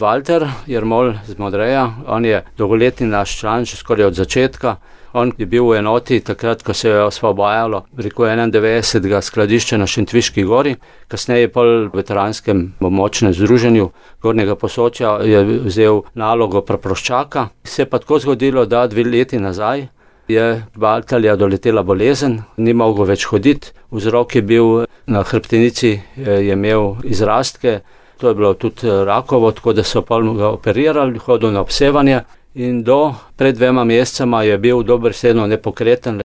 Valter Jermol z Modreja, on je dolgoletni naš član, že skoraj od začetka. On je bil v enoti takrat, ko se je osvobajalo, 91. skladišča na Šentviški gori, kasneje pa v veteranskem območnem združenju Gornjega Posočja je vzel nalogo praproščaka. Se je pa tako zgodilo, da 2 leti nazaj je Valterja doletela bolezen, ni mogel več hoditi, vzrok je bil na hrbtenici, je imel izrastke, to je bilo tudi rakovo, tako da so pa ga operirali, hodil na obsevanje in pred 2 mesecema je bil dobesedno nepokreten.